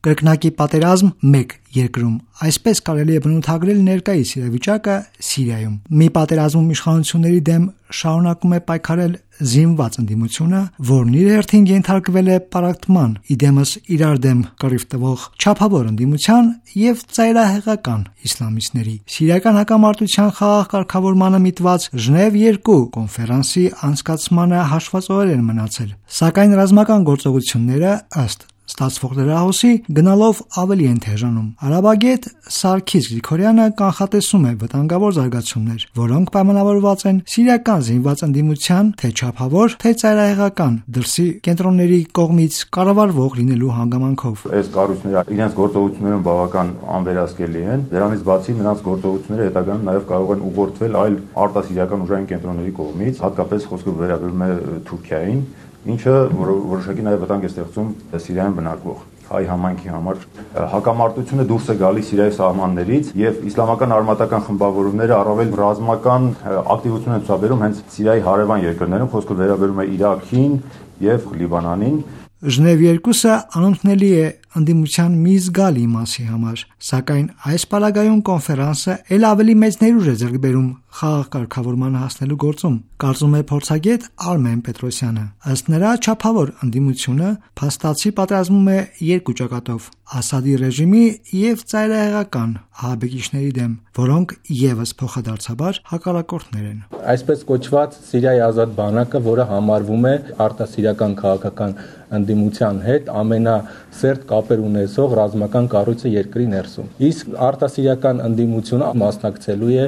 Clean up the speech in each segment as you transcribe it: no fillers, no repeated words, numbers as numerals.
Կրկնակի պատերազմ մեկ երկրում։ Այսպես կարելի է բնութագրել ներկայիս իրավիճակը Սիրիայում։ Մի պատերազմում իշխանությունների դեմ շարունակում է պայքարել զինված ընդդիմությունը, որն իր հերթին ենթարկվել է պարակտման, իդեմս իրար դեմ կռիվ տվող չափավոր ընդդիմության եւ ծայրահեղական իսլամիստների։ Սիրիական հակամարտության խաղաղ կարգավորմանը միտված Ժնև 2 կոնֆերանսի անցկացմանը հաշված օրեր են մնացել, սակայն ռազմական գործողությունները ըստ ստացվող լրահոսի գնալով ավելի են թեժանում։ Արաբագետ Սարգիս Գրիգորյանը կանխատեսում է վտանգավոր զարգացումներ, որոնք պայմանավորված են սիրիական զինված ընդդիմության թե չափավոր, թե ծայրահեղական դրսի կենտրոնների կողմից կառավարվող լինելու հանգամանքով։ Այս կառույցները իրենց գործողություններում բավական անվերահսկելի են։ Դրանից բացի նրանց գործողությունները հետագայում նաև կարող են ուղղորդվել այլ արտասիրիական ուժային կենտրոնների կողմից, հատկապես խոսքը վերաբերում է Թուրքիային, ինչը որոշակի նաև վտանգ է ստեղծում Սիրիայում բնակվող հայ համայնքի համար։ Հակամարտությունը դուրս է գալիս Սիրիայի սահմաններից եւ իսլամական արմատական խմբավորումները առավել ռազմական ակտիվություն են ցուցաբերում հենց Սիրիայի հարևան երկրներում, խոսքը վերաբերում է Իրաքին եւ Լիբանանին։ Ժնև 2-ը անընդունելի է ընդդիմության մի զգալի մասի համար, սակայն այս պարագայում կոնֆերանսը ել ավելի մեծ ներուժ է ձեռք բերում խաղաղ կարգավորմանը հասնելու գործում, կարծում է փորձագետ Արմեն Պետրոսյանը։ Ըստ նրա, չափավոր ընդդիմությունը փաստացի պատերազմում է երկու ճակատով՝ Ասադի ռեժիմի եւ ծայրահեղական ահաբեկիչների դեմ, որոնք եւս փոխադարձաբար հակառակորդներ են։ Այսպես կոչված Սիրիայի ազատ բանակը, որը համարվում է արտասիրիական քաղաքական ընդդիմության հետ ամենասերտ կապեր ունեցող ռազմական կառույցը երկրի ներսում։ Իսկ արտասիրիական ընդդիմությունը մասնակցելու է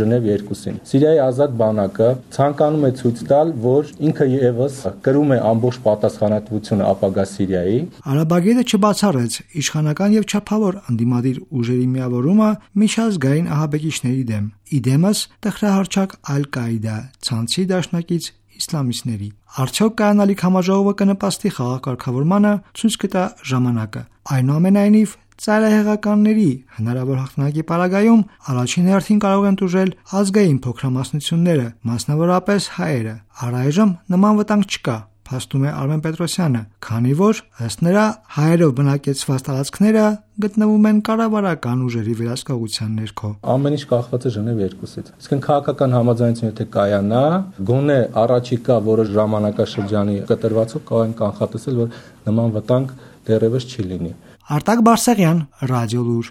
Ժնև 2-ին։ Սիրիայի ազատ բանակը ցանկանում է ցույց տալ, որ ինքը եւս կրում է ամբողջ պատասխանատվությունը ապագա Սիրիայի։ Արաբագետը չբացառեց իշխանական եւ չափավոր ընդդիմադիր ուժերի միավորումը միջազգային ահաբեկիչների դեմ, իդեմս տխրահարչակ Ալ-Կաիդա ցանցի դաշնակից իսլամիստների։ Արդյոք կայանալիք համաժողովը կնպաստի խաղաղ կարգավորմանը, ցույց կտա ժամանակը։ Այնուամենայնիվ, ծայրահեղականների հնարավոր հաղթանակի պարագայում առաջին հերթին կարող են տուժել ազգային փոքրամասնությունները, մասնավորապես հայերը։ Առայժմ նման վտանգ չկա, փաստում է Արմեն Պետրոսյանը, քանի որ ըստ նրա հայերով բնակեցված տարածքները գտնվում են կառավարական ուժերի վերահսկողության ներքո։ Ամեն ինչ կախված է Ժնև 2-ից։ Իսկ քաղաքական համաձայնությունը եթե կայանա, գոնե առաջիկա որոշ ժամանակաշրջանի կտրվածով կարող են կանխատեսել, որ նման վտանգ դեռևս չի լինի։ Արտակ Բարսեղյան, Ռադիոլուր։